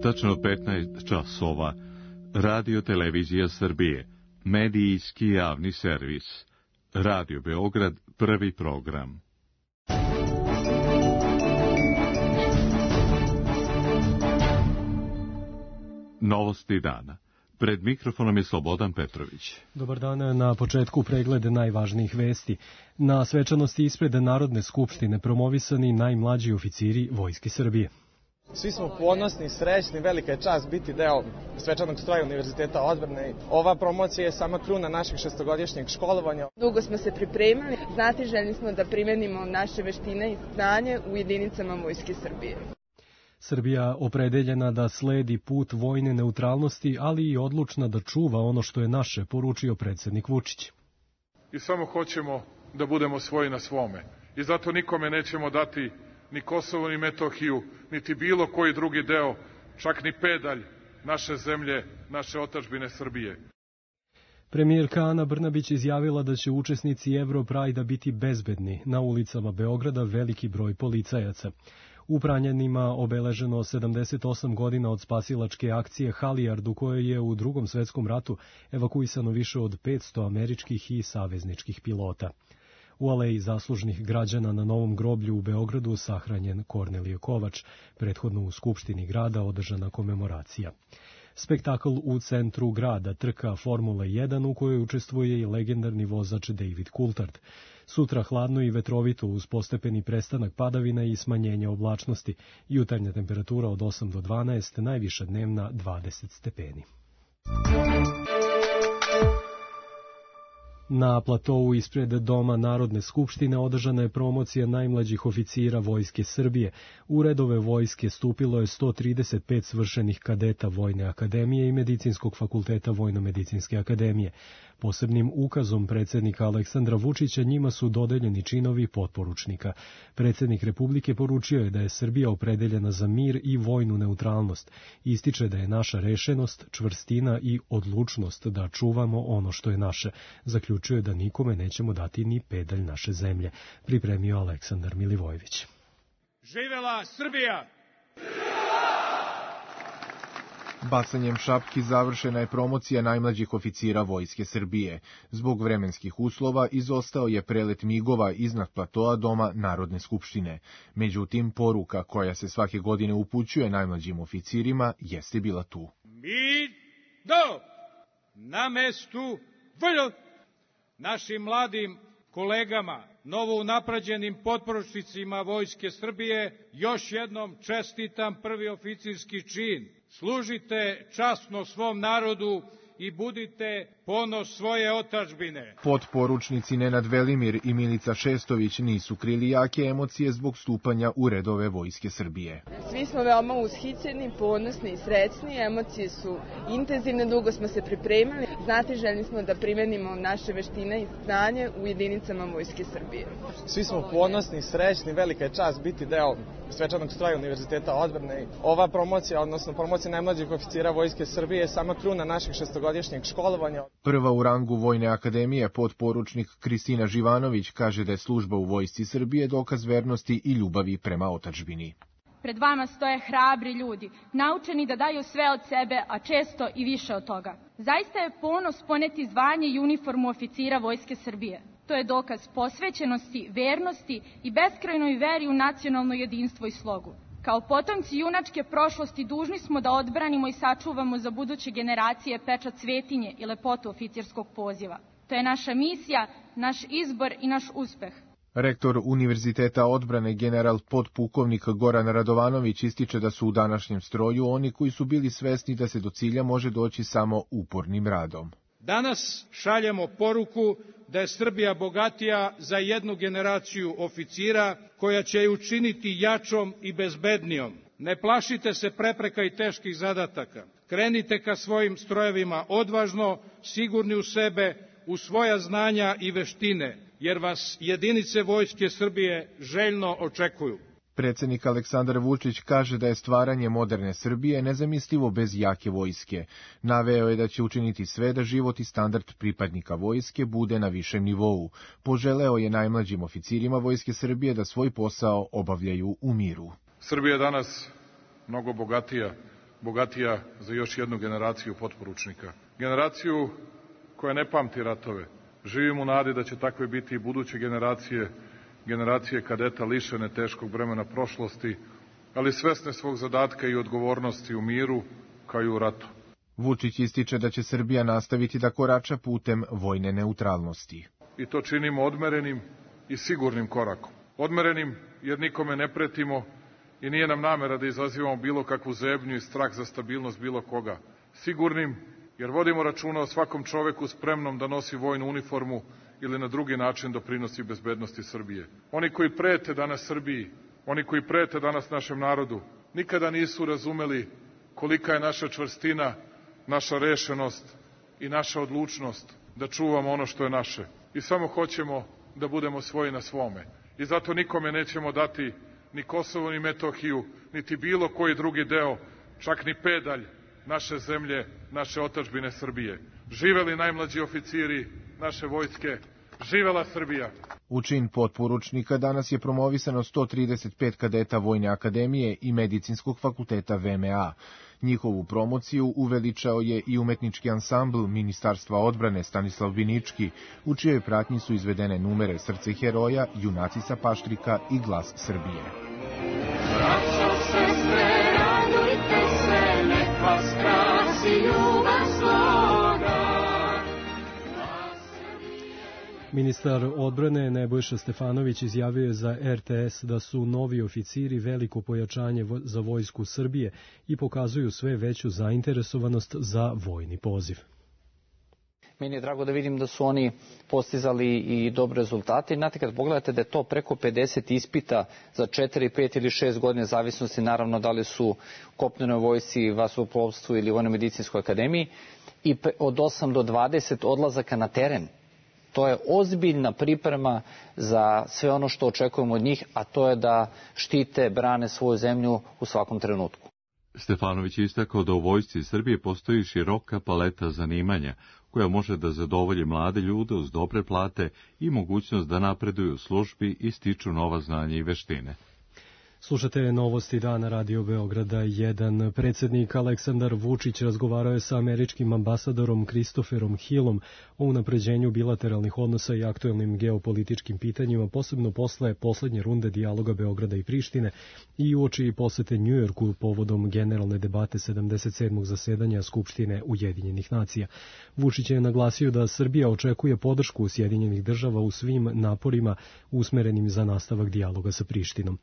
Tačno 15 časova. Radio Televizija Srbije. Medijski javni servis. Radio Beograd, prvi program. Novosti dana. Pred mikrofonom je Slobodan Petrović. Dobar dan, na početku pregled najvažnijih vesti. Na svečanosti ispred Narodne skupštine promovisani najmlađi oficiri Vojske Srbije. Svi smo ponosni, srećni, velika je čast biti deo svečanog stroja Univerziteta odbrane. Ova promocija je sama kruna našeg šestogodišnjeg školovanja. Dugo smo se pripremili, znatiželjni smo da primenimo naše veštine i znanje u jedinicama Vojske Srbije. Srbija opredeljena da sledi put vojne neutralnosti, ali i odlučna da čuva ono što je naše, poručio predsjednik Vučić. I samo hoćemo da budemo svoji na svome. I zato nikome nećemo dati ni Kosovo, ni Metohiju, niti bilo koji drugi deo, čak ni pedalj naše zemlje, naše otadžbine Srbije. Premijerka Ana Brnabić izjavila da će učesnici Europrajda biti bezbedni. Na ulicama Beograda veliki broj policajaca. U Pranjanima obeleženo 78 godina od spasilačke akcije Halijard, u kojoj je u Drugom svetskom ratu evakuisano više od 500 američkih i savezničkih pilota. U aleji zaslužnih građana na Novom groblju u Beogradu sahranjen Kornelije Kovač, prethodno u Skupštini grada održana komemoracija. Spektakl u centru grada, trka Formule 1 u kojoj učestvuje i legendarni vozač David Coulthard. Sutra hladno i vetrovito uz postepeni prestanak padavina i smanjenje oblačnosti. Jutarnja temperatura od 8 do 12, najviša dnevna 20 stepeni. Na platou ispred Doma Narodne skupštine održana je promocija najmlađih oficira Vojske Srbije. U redove vojske stupilo je 135 svršenih kadeta Vojne akademije i Medicinskog fakulteta Vojno-medicinske akademije. Posebnim ukazom predsjednika Aleksandra Vučića njima su dodeljeni činovi potporučnika. Predsjednik Republike poručio je da je Srbija opredeljena za mir i vojnu neutralnost. Ističe da je naša rešenost, čvrstina i odlučnost da čuvamo ono što je naše. Zaključuje da nikome nećemo dati ni pedalj naše zemlje, pripremio Aleksandar Milivojević. Živela Srbija! Bacanjem šapki završena je promocija najmlađih oficira Vojske Srbije. Zbog vremenskih uslova izostao je prelet migova iznad platoa Doma Narodne skupštine. Međutim, poruka koja se svake godine upućuje najmlađim oficirima jeste bila tu. Mi do na mestu vrlo našim mladim kolegama, novo unapređenim potporučnicima Vojske Srbije, još jednom čestitam prvi oficirski čin. Služite časno svom narodu i budite ponos svoje otadžbine. Potporučnici Nenad Velimir i Milica Šestović nisu krili jake emocije zbog stupanja u redove Vojske Srbije. Svi smo veoma ushićeni, ponosni i srećni, emocije su intenzivne, dugo smo se pripremili, znatiželjni smo da primenimo naše veštine i znanje u jedinicama Vojske Srbije. Svi smo ponosni, srećni, velika je čast biti deo svečanog stroja Univerziteta odbrane. Ova promocija, odnosno promocija najmlađih oficira Vojske Srbije je sama kruna našeg šestogodišnjeg školovanja. Prva u rangu Vojne akademije, potporučnik Kristina Živanović, kaže da je služba u Vojsci Srbije dokaz vernosti i ljubavi prema otadžbini. Pred vama stoje hrabri ljudi, naučeni da daju sve od sebe, a često i više od toga. Zaista je ponos poneti zvanje i uniformu oficira Vojske Srbije. To je dokaz posvećenosti, vernosti i beskrajnoj veri u nacionalno jedinstvo i slogu. Kao potomci junačke prošlosti dužni smo da odbranimo i sačuvamo za buduće generacije pečat svetinje i lepotu oficirskog poziva. To je naša misija, naš izbor i naš uspeh. Rektor Univerziteta odbrane general potpukovnik Goran Radovanović ističe da su u današnjem stroju oni koji su bili svesni da se do cilja može doći samo upornim radom. Danas šaljemo poruku da je Srbija bogatija za jednu generaciju oficira koja će je učiniti jačom i bezbednijom. Ne plašite se prepreka i teških zadataka. Krenite ka svojim strojevima odvažno, sigurni u sebe, u svoja znanja i veštine, jer vas jedinice Vojske Srbije željno očekuju. Predsjednik Aleksandar Vučić kaže da je stvaranje moderne Srbije nezamislivo bez jake vojske. Naveo je da će učiniti sve da život i standard pripadnika vojske bude na višem nivou. Poželeo je najmlađim oficirima Vojske Srbije da svoj posao obavljaju u miru. Srbija je danas mnogo bogatija bogatija za još jednu generaciju potporučnika. Generaciju koja ne pamti ratove. Živim u nadi da će takve biti i buduće generacije kadeta lišene teškog bremena prošlosti, ali svesne svog zadatka i odgovornosti u miru, kao i u ratu. Vučić ističe da će Srbija nastaviti da korača putem vojne neutralnosti. I to činimo odmerenim i sigurnim korakom. Odmerenim jer nikome ne pretimo i nije nam namera da izazivamo bilo kakvu zebnju i strah za stabilnost bilo koga. Sigurnim jer vodimo računa o svakom čoveku spremnom da nosi vojnu uniformu ili na drugi način doprinosi bezbednosti Srbije. Oni koji prete danas Srbiji, oni koji prete danas našem narodu, nikada nisu razumeli kolika je naša čvrstina, naša rešenost i naša odlučnost da čuvamo ono što je naše. I samo hoćemo da budemo svoji na svome. I zato nikome nećemo dati ni Kosovo, ni Metohiju, niti bilo koji drugi deo, čak ni pedalj naše zemlje, naše otadžbine Srbije. Živeli najmlađi oficiri naše vojske, živela Srbija! U čin potporučnika danas je promovisano 135 kadeta Vojne akademije i Medicinskog fakulteta VMA. Njihovu promociju uveličao je i umetnički ansambl Ministarstva odbrane Stanislav Binički, u čijoj pratnji su izvedene numere Srce heroja, Junaci sa Paštrika i Glas Srbije. Braćo, sestre, radujte se, nek vas krasi ljubav sloga. Ministar odbrane Nebojša Stefanović izjavio je za RTS da su novi oficiri veliko pojačanje za vojsku Srbije i pokazuju sve veću zainteresovanost za vojni poziv. Meni je drago da vidim da su oni postizali i dobre rezultate. Znate, kad pogledate da je to preko 50 ispita za 4, 5 ili 6 godine, zavisnosti naravno da li su u kopnenoj vojsci, vazduhoplovstvu ili vojno-medicinskoj akademiji, i od 8 do 20 odlazaka na teren. To je ozbiljna priprema za sve ono što očekujemo od njih, a to je da štite, brane svoju zemlju u svakom trenutku. Stefanović je istakao da u vojsci Srbije postoji široka paleta zanimanja koja može da zadovolji mlade ljude uz dobre plate i mogućnost da napreduju u službi i stiču nova znanja i veštine. Slušate Novosti dana Radio Beograda 1. Predsjednik Aleksandar Vučić razgovarao je sa američkim ambasadorom Christopherom Hillom o unapređenju bilateralnih odnosa i aktuelnim geopolitičkim pitanjima, posebno posle poslednje runde dijaloga Beograda i Prištine i uoči posete Njujorku povodom generalne debate 77. zasedanja Skupštine Ujedinjenih nacija. Vučić je naglasio da Srbija očekuje podršku Sjedinjenih država u svim naporima usmerenim za nastavak dijaloga sa Prištinom.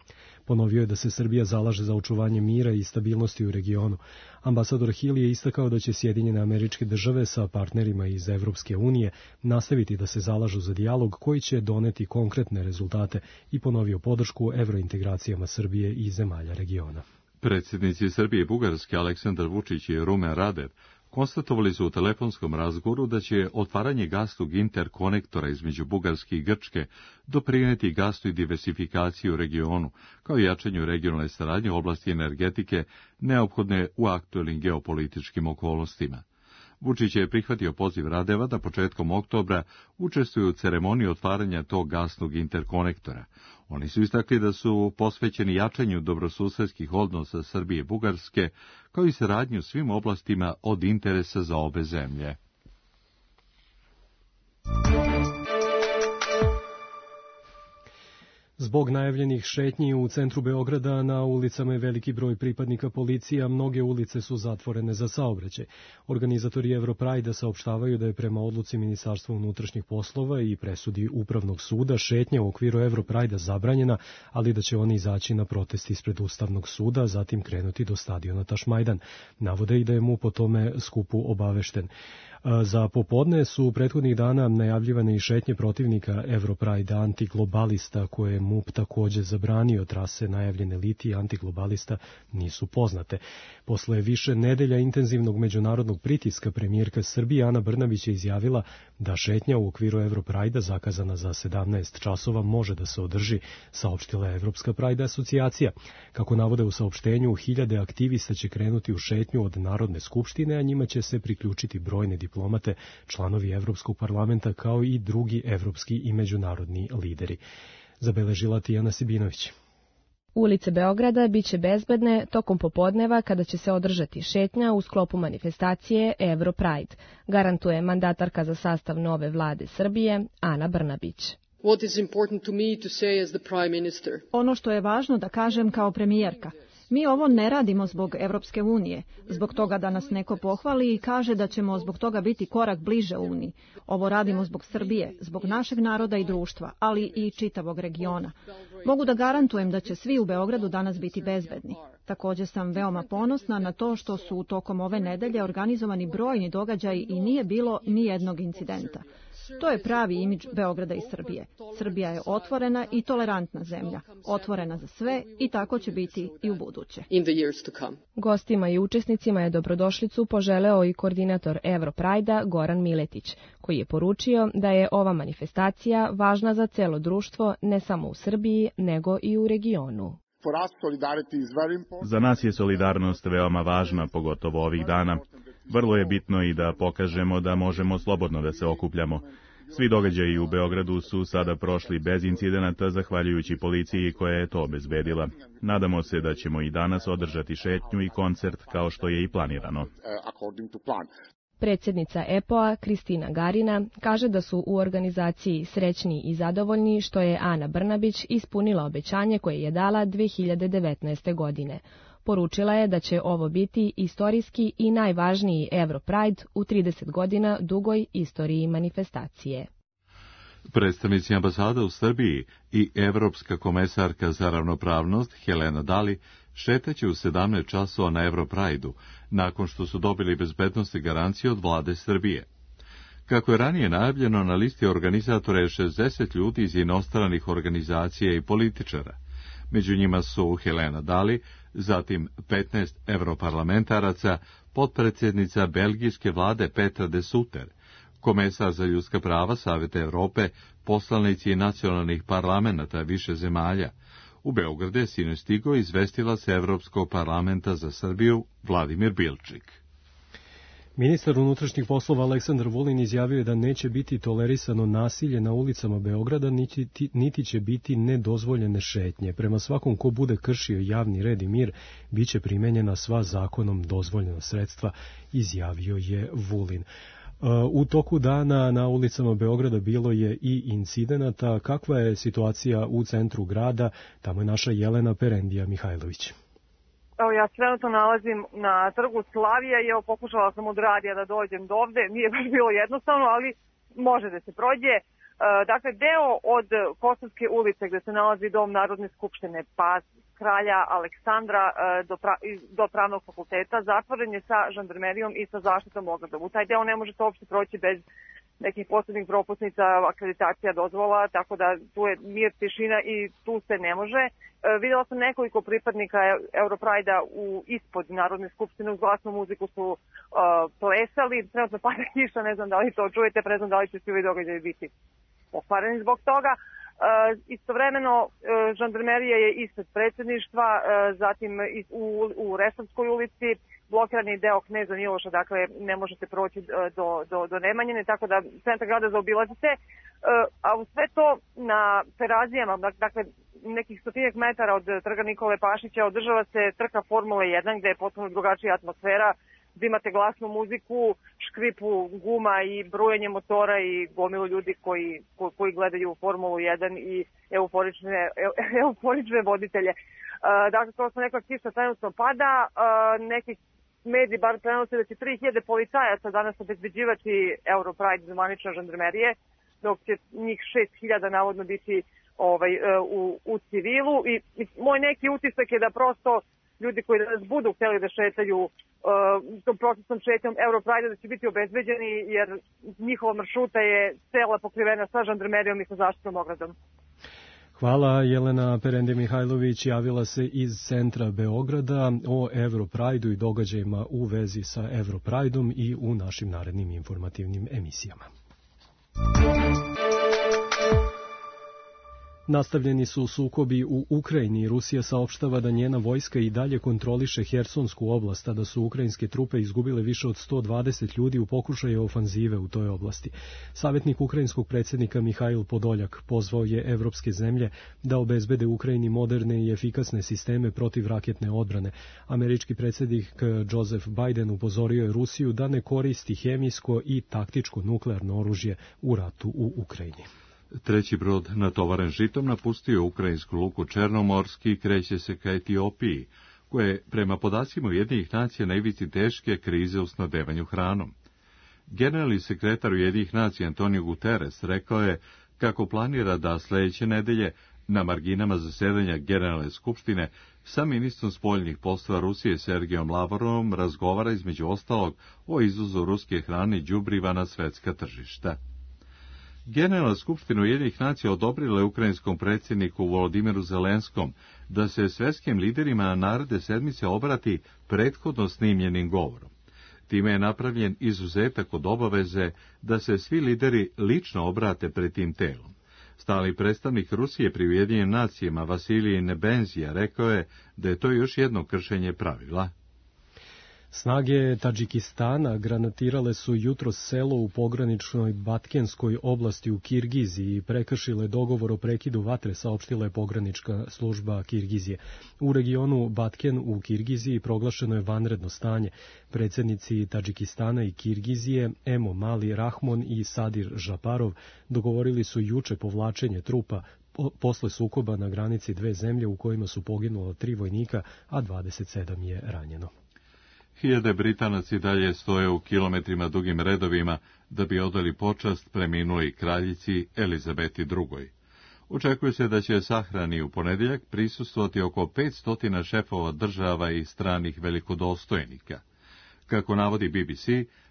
Ponovio je da se Srbija zalaže za očuvanje mira i stabilnosti u regionu. Ambasador Hill je istakao da će Sjedinjene Američke Države sa partnerima iz Evropske unije nastaviti da se zalažu za dijalog koji će doneti konkretne rezultate i ponovio podršku evrointegracijama Srbije i zemalja regiona. Predsjednici Srbije i Bugarske Aleksandar Vučić i Rumen Radev konstatovali su u telefonskom razgovoru da će otvaranje gasnog interkonektora između Bugarske i Grčke doprineti gasnoj diversifikaciji u regionu, kao i jačanju regionalne saradnje u oblasti energetike neophodne u aktuelnim geopolitičkim okolnostima. Vučić je prihvatio poziv Radeva da početkom oktobra učestvuju u ceremoniji otvaranja tog gasnog interkonektora. Oni su istakli da su posvećeni jačanju dobrosusedskih odnosa Srbije i Bugarske, kao i saradnju u svim oblastima od interesa za obe zemlje. Zbog najavljenih šetnji u centru Beograda na ulicama je veliki broj pripadnika policije, a mnoge ulice su zatvorene za saobraćaj. Organizatori Europrajda saopštavaju da je prema odluci Ministarstva unutrašnjih poslova i presudi Upravnog suda šetnja u okviru Europrajda zabranjena, ali da će oni izaći na protest ispred Ustavnog suda, zatim krenuti do stadiona Tašmajdan. Navode i da je MUP o tome skupu obavešten. Za popodne su prethodnih dana najavljivane i šetnje protivnika Europrajda antiglobalista, koje je MUP takođe zabranio. Trase najavljene Litije antiglobalista nisu poznate. Posle više nedelja intenzivnog međunarodnog pritiska premijerka Srbije Ana Brnabić je izjavila da šetnja u okviru Europrajda zakazana za 17 časova može da se održi, saopštila je Evropska Prajda asocijacija. Kako navode u saopštenju, 1000 aktivista će krenuti u šetnju od Narodne skupštine, a njima će se priključiti brojne diplomate, članovi Evropskog parlamenta, kao i drugi evropski i međunarodni lideri. Zabeležila Tijana Sibinović. Ulice Beograda biće bezbedne tokom popodneva kada će se održati šetnja u sklopu manifestacije Euro Pride, garantuje mandatarka za sastav nove vlade Srbije, Ana Brnabić. Ono što je važno da kažem kao premijerka, mi ovo ne radimo zbog Evropske unije, zbog toga da nas neko pohvali i kaže da ćemo zbog toga biti korak bliže Uniji. Ovo radimo zbog Srbije, zbog našeg naroda i društva, ali i čitavog regiona. Mogu da garantujem da će svi u Beogradu danas biti bezbedni. Također sam veoma ponosna na to što su tokom ove nedelje organizovani brojni događaji i nije bilo ni jednog incidenta. To je pravi imidž Beograda i Srbije. Srbija je otvorena i tolerantna zemlja, otvorena za sve i tako će biti i u buduće. Gostima i učesnicima je dobrodošlicu poželeo i koordinator Euro Pride-a Goran Miletić, koji je poručio da je ova manifestacija važna za celo društvo ne samo u Srbiji, nego i u regionu. Za nas je solidarnost veoma važna, pogotovo ovih dana. Vrlo je bitno i da pokažemo da možemo slobodno da se okupljamo. Svi događaji u Beogradu su sada prošli bez incidenata zahvaljujući policiji koja je to obezbedila. Nadamo se da ćemo i danas održati šetnju i koncert kao što je i planirano. Predsjednica EPO-a Kristina Garina kaže da su u organizaciji srećni i zadovoljni što je Ana Brnabić ispunila obećanje koje je dala 2019. godine. Poručila je da će ovo biti istorijski i najvažniji Euro Pride u 30 godina dugoj istoriji manifestacije. Predstavnici ambasada u Srbiji i Evropska komesarka za ravnopravnost Helena Dali šetaće u 17 časova na Euro Pride-u, nakon što su dobili bezbednosne garancije od vlade Srbije. Kako je ranije najavljeno, na listi organizatora je 60 ljudi iz inostranih organizacija i političara. Među njima su Helena Dali, zatim 15 europarlamentaraca, potpredsjednica belgijske vlade Petra de Sutter, komesar za ljudska prava Saveta Evrope, poslanici nacionalnih parlamenata više zemalja. U Beogradu je sinoć stigao izvestilac Evropskog parlamenta za Srbiju Vladimir Bilčik. Ministar unutrašnjih poslova Aleksandar Vulin izjavio je da neće biti tolerisano nasilje na ulicama Beograda, niti će biti nedozvoljene šetnje. Prema svakom ko bude kršio javni red i mir, bit će primenjena sva zakonom dozvoljena sredstva, izjavio je Vulin. U toku dana na ulicama Beograda bilo je i incidenata. Kakva je situacija u centru grada? Tamo je naša Jelena Perendija Mihajlović. Evo, ja se trenutno nalazim na trgu Slavija i evo, pokušala sam od radija da dođem do ovde. Nije baš bilo jednostavno, ali može da se prođe. Dakle, deo od Kosovske ulice gde se nalazi dom Narodne skupštine, pa kralja Aleksandra do Pravnog fakulteta, zatvoren je sa žandarmerijom i sa zaštitom ogradom. U taj deo ne možete uopšte proći bez nekih posebnih propusnica, akreditacija, dozvola, tako da tu je mir, tišina i tu se ne može. Videla sam nekoliko pripadnika Europride-a ispod Narodne skupštine, uz glasnu muziku su plesali, trenutno pada kiša, ne znam da li to čujete, ne znam da li će svi ovi događaji biti pokvareni zbog toga. Istovremeno, žandarmerija je ispred predsjedništva, zatim u Resavskoj ulici, blokiran je deo Kneza Miloša, dakle ne možete proći do Nemanjine, tako da centar grada zaobilazite, a u sve to na Terazijama, dakle nekih 100 metara od trga Nikole Pašića održava se trka Formule 1 gde je potpuno drugačija atmosfera, gde imate glasnu muziku, škripu guma i brujanje motora i gomilu ljudi koji gledaju Formulu 1 i euforične voditelje. Dakle, kao što neka kiša trenutno pada, neki mediji bar prenose da će 3000 policajaca danas obezbeđivati Europride zvanične žandarmerije, dok će njih 6000 navodno biti u civilu. I moj neki utisak je da prosto ljudi koji danas budu hteli da šetaju tom procesnom šetnjom Europride da će biti obezbeđeni, jer njihova maršruta je cela pokrivena sa žandarmerijom i sa zaštitom ogradom. Hvala, Jelena Perende Mihajlović javila se iz centra Beograda o Europride-u i događajima u vezi sa Europride-om i u našim narednim informativnim emisijama. Nastavljeni su sukobi u Ukrajini. Rusija saopštava da njena vojska i dalje kontroliše Hersonsku oblast, a da su ukrajinske trupe izgubile više od 120 ljudi u pokušaju ofanzive u toj oblasti. Savjetnik ukrajinskog predsjednika Mihajl Podoljak pozvao je evropske zemlje da obezbede Ukrajini moderne i efikasne sisteme protivraketne odbrane. Američki predsjednik Joseph Biden upozorio je Rusiju da ne koristi hemijsko i taktičko nuklearno oružje u ratu u Ukrajini. Treći brod natovaren žitom napustio ukrajinsku luku Černomorski i kreće se ka Etiopiji, koja je prema podacima Ujedinjenih nacija na ivici teške krize u snabdevanju hranom. Generalni sekretar Ujedinjenih nacija Antonio Guterres rekao je kako planira da sljedeće nedelje na marginama zasedanja Generalne skupštine sa ministrom spoljnih poslova Rusije Sergejom Lavrovom razgovara između ostalog o izvozu ruske hrane i đubriva na svetska tržišta. Generalna skupština Ujedinjenih nacija odobrila je ukrajinskom predsjedniku Volodimiru Zelenskom da se svetskim liderima naredne sedmice obrati prethodno snimljenim govorom. Time je napravljen izuzetak od obaveze da se svi lideri lično obrate pred tim telom. Stalni predstavnik Rusije pri Ujedinjenim nacijama Vasilij Nebenzija rekao je da je to još jedno kršenje pravila. Snage Tadžikistana granatirale su jutros selo u pograničnoj Batkenskoj oblasti u Kirgiziji i prekršile dogovor o prekidu vatre, saopštila je pogranička služba Kirgizije. U regionu Batken u Kirgiziji proglašeno je vanredno stanje. Predsjednici Tadžikistana i Kirgizije Emo Mali Rahmon i Sadir Žaparov dogovorili su juče povlačenje trupa posle sukoba na granici dve zemlje u kojima su poginula 3 vojnika, a 27 je ranjeno. Hiljade Britanaca i dalje stoje u kilometrima dugim redovima da bi odali počast preminuloj kraljici Elizabeti II. Očekuje se da će sahrani u ponedjeljak prisustvovati oko 500 šefova država i stranih velikodostojnika. Kako navodi BBC,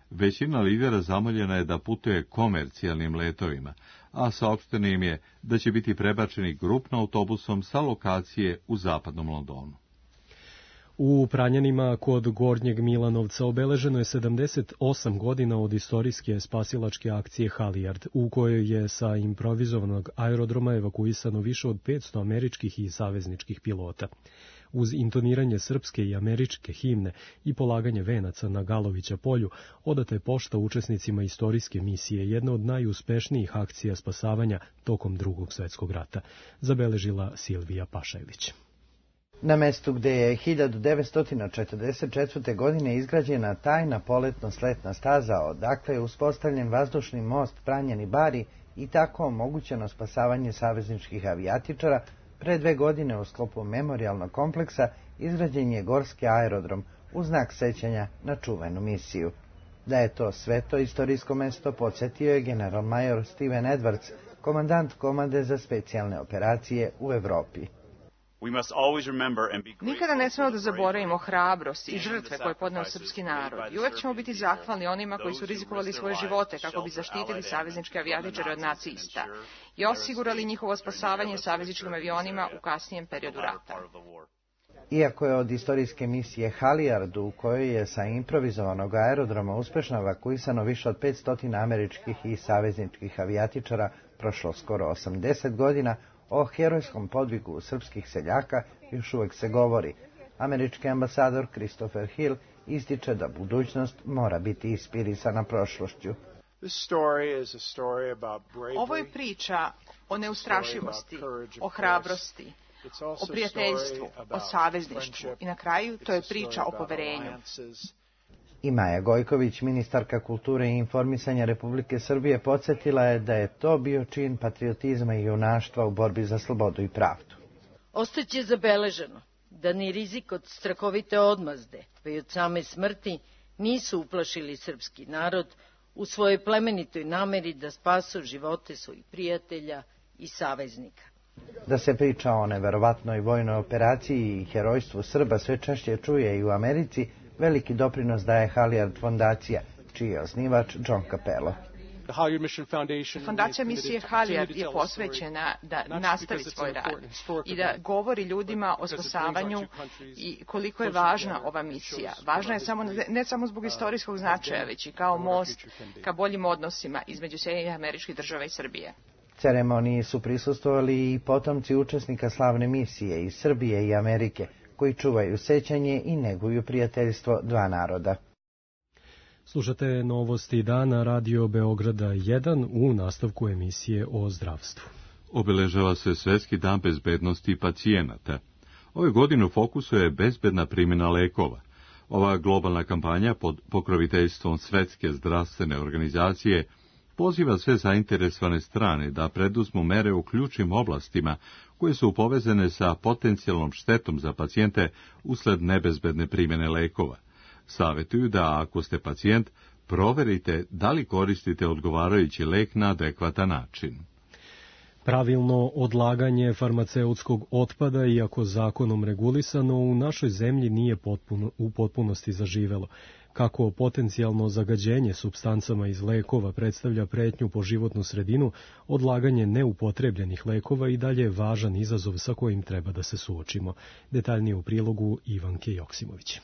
većina lidera zamoljena je da putuje komercijalnim letovima, a saopšteno im je da će biti prebačeni grupno autobusom sa lokacije u zapadnom Londonu. U Pranjanima kod Gornjeg Milanovca obeleženo je 78 godina od istorijske spasilačke akcije Halijard, u kojoj je sa improvizovanog aerodroma evakuisano više od 500 američkih i savezničkih pilota. Uz intoniranje srpske i američke himne i polaganje venaca na Galovića polju, odata je pošta učesnicima istorijske misije, jedna od najuspešnijih akcija spasavanja tokom Drugog svjetskog rata, zabeležila Silvija Pašajlić. Na mestu gde je 1944. godine izgrađena tajna poletno-sletna staza, odakle je uspostavljen vazdušni most Pranjani-Bari i tako omogućeno spasavanje savezničkih avijatičara, pre 2 godine u sklopu memorijalnog kompleksa izgrađen je gorski aerodrom u znak sećanja na čuvenu misiju. Da je to sveto istorijsko mesto podsjetio je generalmajor Steven Edwards, komandant komande za specijalne operacije u Evropi. Nikada ne smemo da zaboravimo hrabrost i žrtve koje je podneo srpski narod i uvek ćemo biti zahvalni onima koji su rizikovali svoje živote kako bi zaštitili savezničke avijatičare od nacista i osigurali njihovo spasavanje savezničkim avionima u kasnijem periodu rata. Iako je od istorijske misije Halijard, u kojoj je sa improvizovanog aerodroma uspešno evakuisano više od 500 američkih i savezničkih avijatičara, prošlo skoro 80 godina, o herojskom podvigu srpskih seljaka još uvek se govori. Američki ambasador Christopher Hill ističe da budućnost mora biti inspirisana prošlošću. Ovo je priča o neustrašivosti, o hrabrosti, o prijateljstvu, o savezništvu i na kraju to je priča o poverenju. I Maja Gojković, ministarka kulture i informisanja Republike Srbije, podsjetila je da je to bio čin patriotizma i junaštva u borbi za slobodu i pravdu. Ostaće zabeleženo da ni rizik od strahovite odmazde, pa i od same smrti, nisu uplašili srpski narod u svojoj plemenitoj nameri da spasu živote svojih prijatelja i saveznika. Da se priča o neverovatnoj vojnoj operaciji i herojstvu Srba sve češće čuje i u Americi, veliki doprinos daje Halijard fondacija, čiji je osnivač John Capello. Fondacija misije Halijard je posvećena da nastavi svoj rad i da govori ljudima o spasavanju i koliko je važna ova misija. Važna je ne samo zbog istorijskog značaja, već i kao most ka boljim odnosima između Sjedinjenih Američkih Država i Srbije. Ceremoniji su prisustvovali i potomci učesnika slavne misije iz Srbije i Amerike, koji čuvaju sećanje i neguju prijateljstvo dva naroda. Slušate novosti dana Radio Beograda 1 u nastavku emisije o zdravstvu. Obeležava se Svetski dan bezbednosti pacijenata. Ove godine u fokusu je bezbedna primjena lekova. Ova globalna kampanja pod pokroviteljstvom Svetske zdravstvene organizacije poziva sve zainteresovane strane da preduzmu mere u ključnim oblastima koje su povezane sa potencijalnom štetom za pacijente usled nebezbedne primjene lekova. Savetuju da ako ste pacijent, proverite da li koristite odgovarajući lek na adekvatan način. Pravilno odlaganje farmaceutskog otpada, iako zakonom regulisano, u našoj zemlji nije u potpunosti zaživelo. Kako potencijalno zagađenje supstancama iz lekova predstavlja pretnju po životnu sredinu, odlaganje neupotrebljenih lekova i dalje je važan izazov sa kojim treba da se suočimo. Detaljnije u prilogu Ivanke Joksimović.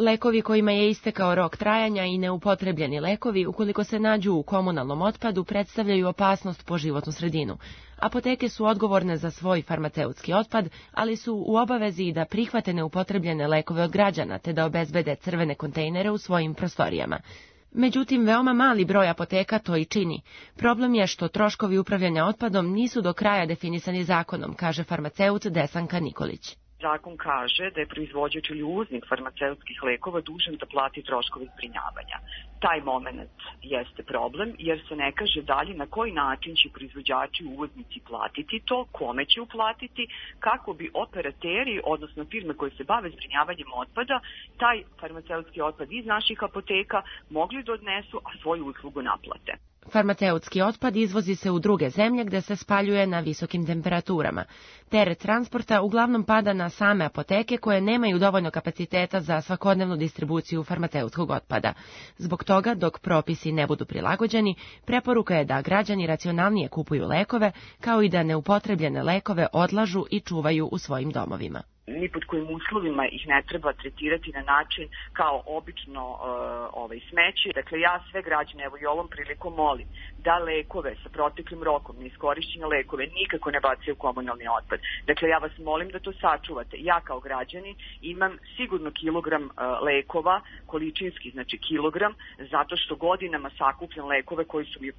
Lekovi kojima je istekao rok trajanja i neupotrebljeni lekovi, ukoliko se nađu u komunalnom otpadu, predstavljaju opasnost po životnu sredinu. Apoteke su odgovorne za svoj farmaceutski otpad, ali su u obavezi da prihvate neupotrebljene lekove od građana, te da obezbede crvene kontejnere u svojim prostorijama. Međutim, veoma mali broj apoteka to i čini. Problem je što troškovi upravljanja otpadom nisu do kraja definisani zakonom, kaže farmaceut Desanka Nikolić. Zakon kaže da je proizvođač ili uvoznik farmaceutskih lekova dužan da plati troškove zbrinjavanja. Taj moment jeste problem jer se ne kaže dalje na koji način će proizvođači i uvoznici platiti to, kome će uplatiti, kako bi operateri, odnosno firme koje se bave zbrinjavanjem otpada, taj farmaceutski otpad iz naših apoteka mogli da odnesu, a svoju uslugu naplate. Farmaceutski otpad izvozi se u druge zemlje gde se spaljuje na visokim temperaturama. Teret transporta uglavnom pada na same apoteke koje nemaju dovoljno kapaciteta za svakodnevnu distribuciju farmaceutskog otpada. Zbog toga, dok propisi ne budu prilagođeni, preporuka je da građani racionalnije kupuju lekove, kao i da neupotrebljene lekove odlažu i čuvaju u svojim domovima. Ni pod kojim uslovima ih ne treba tretirati na način kao obično smeće. Dakle, ja sve građane, evo i ovom prilikom molim da lekove sa proteklim rokom, neiskorišćene lekove, nikako ne bacaju u komunalni otpad. Dakle, ja vas molim da to sačuvate. Ja kao građanin imam sigurno kilogram lekova, količinski, znači kilogram, zato što godinama sakupljam lekove koji su mi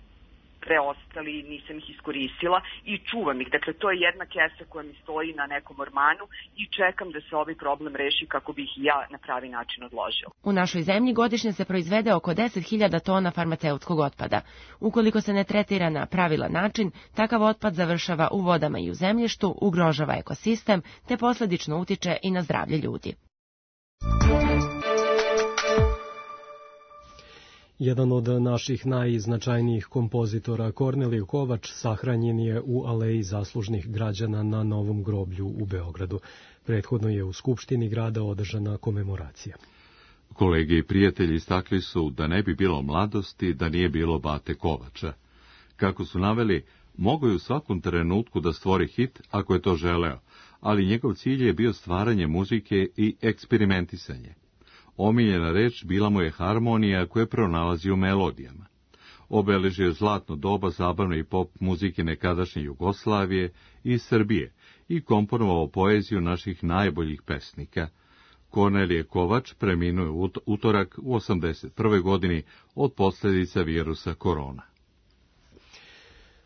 preostali, nisam ih iskoristila i čuvam ih. Dakle, to je jedna kesa koja mi stoji na nekom ormanu i čekam da se ovaj problem reši kako bih ja na pravi način odložila. U našoj zemlji godišnje se proizvede oko 10.000 tona farmaceutskog otpada. Ukoliko se ne tretira na pravilan način, takav otpad završava u vodama i u zemljištu, ugrožava ekosistem, te posledično utiče i na zdravlje ljudi. Jedan od naših najznačajnijih kompozitora, Kornelije Kovač, sahranjen je u Aleji zaslužnih građana na Novom groblju u Beogradu. Prethodno je u Skupštini grada održana komemoracija. Kolege i prijatelji istakli su da ne bi bilo mladosti da nije bilo Bate Kovača. Kako su naveli, mogao je u svakom trenutku da stvori hit ako je to želeo, ali njegov cilj je bio stvaranje muzike i eksperimentisanje. Omiljena reč bila mu je harmonija koju pronalazi u melodijama. Obeležio je zlatno doba zabavne i pop muzike nekadašnje Jugoslavije i Srbije i komponovao poeziju naših najboljih pesnika. Kornelije Kovač preminuo je utorak u 81. godini od posljedica virusa korona.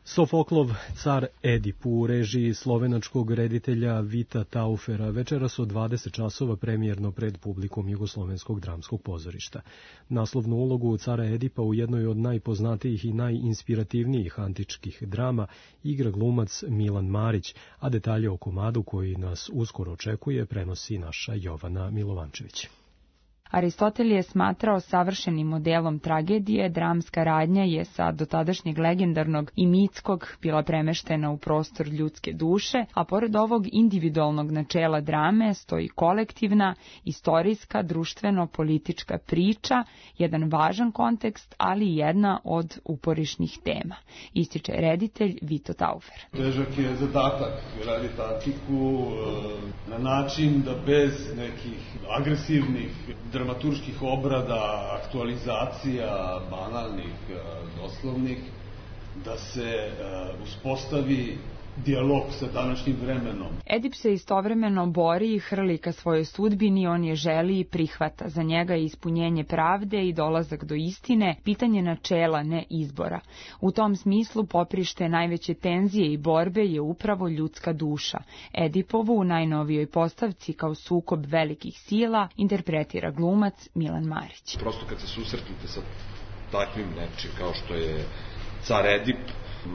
Sofoklov car Edip u režiji slovenačkog reditelja Vita Taufera večeras od 20 časova premijerno pred publikom Jugoslovenskog dramskog pozorišta. Naslovnu ulogu cara Edipa u jednoj od najpoznatijih i najinspirativnijih antičkih drama igra glumac Milan Marić, a detalje o komadu koji nas uskoro očekuje prenosi naša Jovana Milovančević. Aristotel je smatrao savršenim modelom tragedije, dramska radnja je sa dotadašnjeg legendarnog i mitskog bila premeštena u prostor ljudske duše, a pored ovog individualnog načela drame stoji kolektivna, istorijska, društveno-politička priča, jedan važan kontekst, ali i jedna od uporišnih tema, ističe reditelj Vito Taufer. Težak je zadatak raditi antiku na način da bez nekih agresivnih dramaturških obrada, aktualizacija, banalnih, doslovnih, da se uspostavi dijalog sa današnjim vremenom. Edip se istovremeno bori i hrli ka svojoj sudbini, on je želi i prihvata. Za njega je ispunjenje pravde i dolazak do istine pitanje načela, ne izbora. U tom smislu poprište najveće tenzije i borbe je upravo ljudska duša. Edipovu u najnovijoj postavci kao sukob velikih sila interpretira glumac Milan Marić. Prosto kad se susretnete sa takvim nečim kao što je car Edip,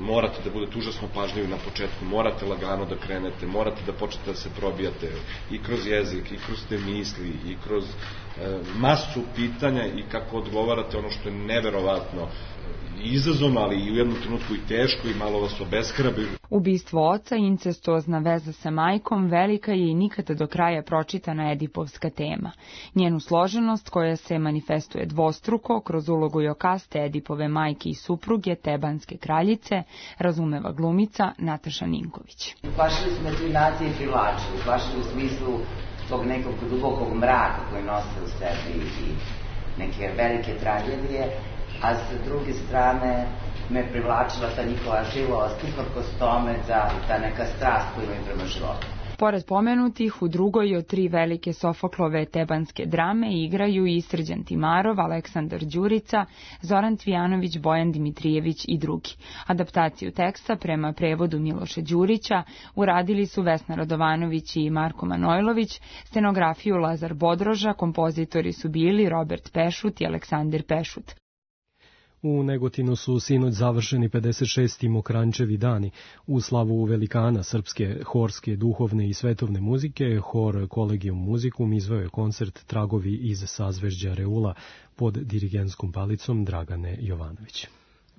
morate da budete užasno pažljivi na početku, morate lagano da krenete, morate da počnete da se probijate i kroz jezik, i kroz te misli, i kroz masu pitanja i kako odgovarate ono što je neverovatno izazovno, ali i u jednom trenutku i teško i malo vas obeshrabri. Ubistvo oca, incestuozna veza sa majkom, velika je i nikada do kraja pročitana edipovska tema. Njenu složenost, koja se manifestuje dvostruko kroz ulogu Jokaste, Edipove majke i supruge, Tebanske kraljice, razumeva glumica Nataša Ninković. Plašili su me civilizacije i privlačili, plašili u smislu tog nekog dubokog mraka koji nose u sebi i neke velike tragedije, a sa druge strane me privlačila ta njihova živost, uprkos tome da ta neka strast koju imaju prema životu. Pored pomenutih, u drugoj od 3 velike Sofoklove tebanske drame igraju i Srđan Timarov, Aleksandar Đurica, Zoran Cvijanović, Bojan Dimitrijević i drugi. Adaptaciju teksta prema prevodu Miloša Đurića uradili su Vesna Radovanović i Marko Manojlović, scenografiju Lazar Bodroža, kompozitori su bili Robert Pešut i Aleksandar Pešut. U Negotinu su sinoć završeni 56. Mokrančevi dani. U slavu velikana srpske horske, duhovne i svetovne muzike, hor Kolegium Muzikum izveo je koncert Tragovi iz sazvežđa Reula pod dirigenskom palicom Dragane Jovanović.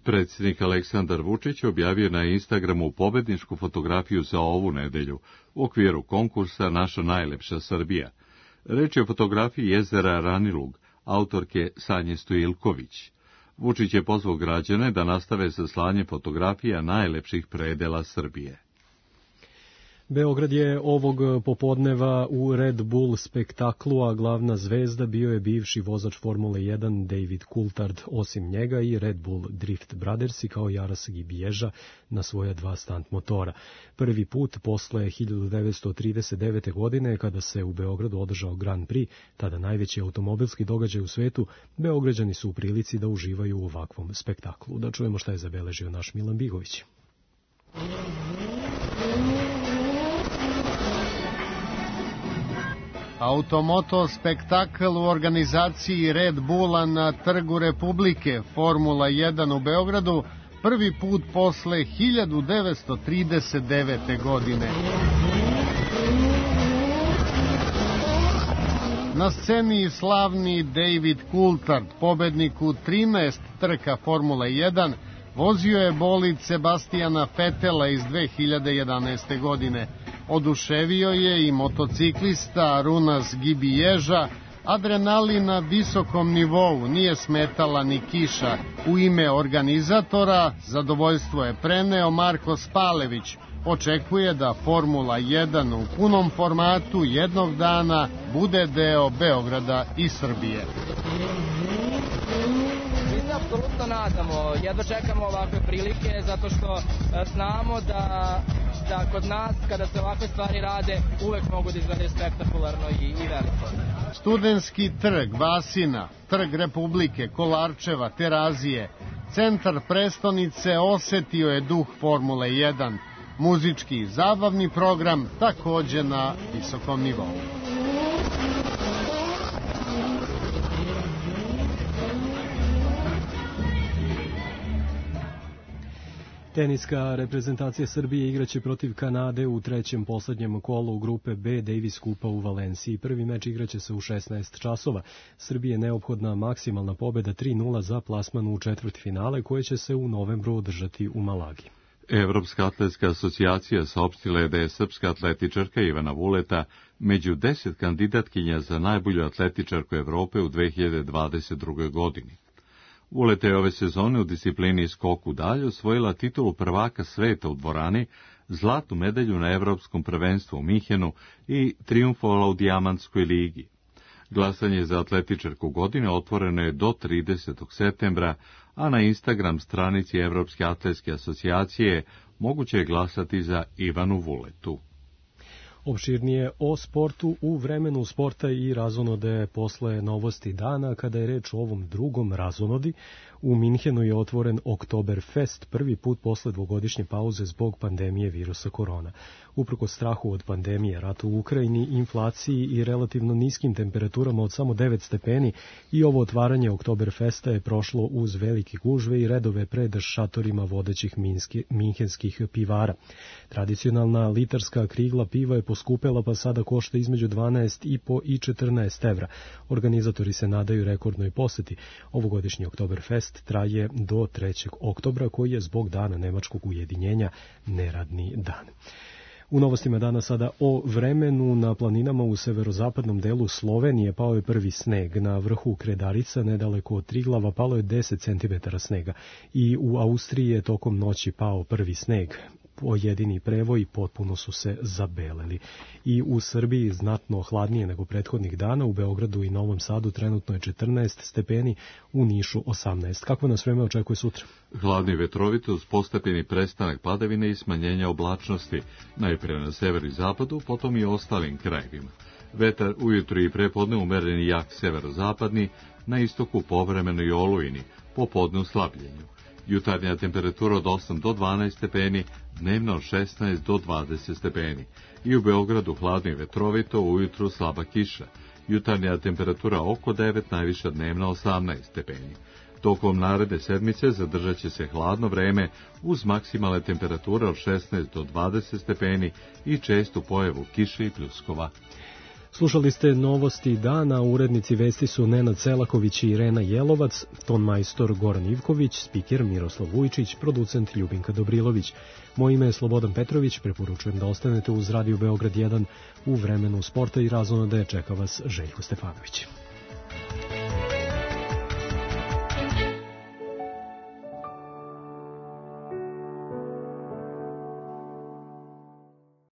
Predsjednik Aleksandar Vučić objavio na Instagramu pobedničku fotografiju za ovu nedelju u okviru konkursa Naša najlepša Srbija. Reč je o fotografiji jezera Ranilug, autorke Sanje Stojilković. Vučić je pozvao građane da nastave sa slanjem fotografija najlepših predela Srbije. Beograd je ovog popodneva u Red Bull spektaklu, a glavna zvezda bio je bivši vozač Formule 1 David Coulthard, osim njega i Red Bull Drift Brothers i kao Jaras Gibieža na svoja 2 stunt motora. Prvi put posle 1939. godine, kada se u Beogradu održao Grand Prix, tada najveći automobilski događaj u svetu, Beograđani su u prilici da uživaju u ovakvom spektaklu. Da čujemo šta je zabeležio naš Milan Bigović. Automoto spektakl u organizaciji Red Bulla na Trgu Republike, Formula 1 u Beogradu, prvi put posle 1939. godine. Na sceni slavni David Coulthard, pobednik u 13 trka Formule 1, vozio je bolid Sebastijana Fetela iz 2011. godine. Oduševio je i motociklista Arunas Gibieža, adrenalin na visokom nivou, nije smetala ni kiša. U ime organizatora zadovoljstvo je preneo Marko Spalević. Očekuje da Formula 1 u punom formatu jednog dana bude deo Beograda i Srbije. Mi se apsolutno nadamo, jedva čekamo ovakve prilike, zato što znamo da kod nas, kada se ovakve stvari rade, uvek mogu da izgledaju spektakularno i veliko. Studentski trg, Vasina, Trg Republike, Kolarčeva, Terazije, centar prestonice osetio je duh Formule 1. Muzički i zabavni program takođe na visokom nivou. Teniska reprezentacija Srbije igraće protiv Kanade u trećem poslednjem kolu grupe B Davis Kupa u Valenciji. Prvi meč igraće se u 16 časova. Srbije je neophodna maksimalna pobeda 3-0 za plasman u četvrtfinale koje će se u novembru održati u Malagi. Evropska atletska asocijacija saopštila je da je srpska atletičarka Ivana Vuleta među 10 kandidatkinja za najbolju atletičarku Evrope u 2022. godini. Vuleta je ove sezone u disciplini skok u dalj osvojila titulu prvaka sveta u dvorani, zlatnu medalju na Evropskom prvenstvu u Minhenu i trijumfovala u Dijamantskoj ligi. Glasanje za atletičarku godine otvoreno je do 30. septembra, a na Instagram stranici Evropske atletske asocijacije moguće je glasati za Ivanu Vuletu. Opširnije o sportu u vremenu sporta i razonode posle novosti dana. Kada je reč o ovom drugom razonodi, u Minhenu je otvoren Oktoberfest, prvi put posle dvogodišnje pauze zbog pandemije virusa korona. Uprkos strahu od pandemije, ratu u Ukrajini, inflaciji i relativno niskim temperaturama od samo 9 stepeni, i ovo otvaranje Oktoberfesta je prošlo uz velike gužve i redove pred šatorima vodećih minhenskih pivara. Tradicionalna litarska krigla piva je poskupela, pa sada košta između 12,5 i 14 evra. Organizatori se nadaju rekordnoj poseti. Ovogodišnji Oktoberfest traje do 3. oktobra, koji je zbog dana nemačkog ujedinjenja neradni dan. U novostima dana sada o vremenu. Na planinama u severozapadnom delu Slovenije pao je prvi sneg. Na vrhu Kredarica, nedaleko od Triglava, palo je 10 cm snega. I u Austriji je tokom noći pao prvi sneg. Pojedini prevoji potpuno su se zabeleli. I u Srbiji znatno hladnije nego prethodnih dana. U Beogradu i Novom Sadu trenutno je 14 stepeni, u Nišu 18. Kako nas vreme očekuje sutra? Hladni vetrovito uz postepeni prestanak padavine i smanjenja oblačnosti, najpre na severu i zapadu, potom i ostalim krajevima. Vetar ujutru i prepodne umeren i jak severozapadni, na istoku povremeno i olujni, popodne u slabljenju. Jutarnja temperatura od 8 do 12 stepeni, dnevno od 16 do 20 stepeni. I u Beogradu hladno i vetrovito, ujutru slaba kiša. Jutarnja temperatura oko 9, najviša dnevna 18 stepeni. Tokom naredne sedmice zadržat će se hladno vreme uz maksimalne temperature od 16 do 20 stepeni i čestu pojavu kiše i pljuskova. Slušali ste novosti dana, urednici vesti su Nenad Selaković i Irena Jelovac, ton majstor Goran Ivković, spiker Miroslav Vujčić, producent Ljubinka Dobrilović. Moje ime je Slobodan Petrović, preporučujem da ostanete uz Radio Beograd 1 u vremenu sporta i razonode. Čeka vas Željko Stefanović.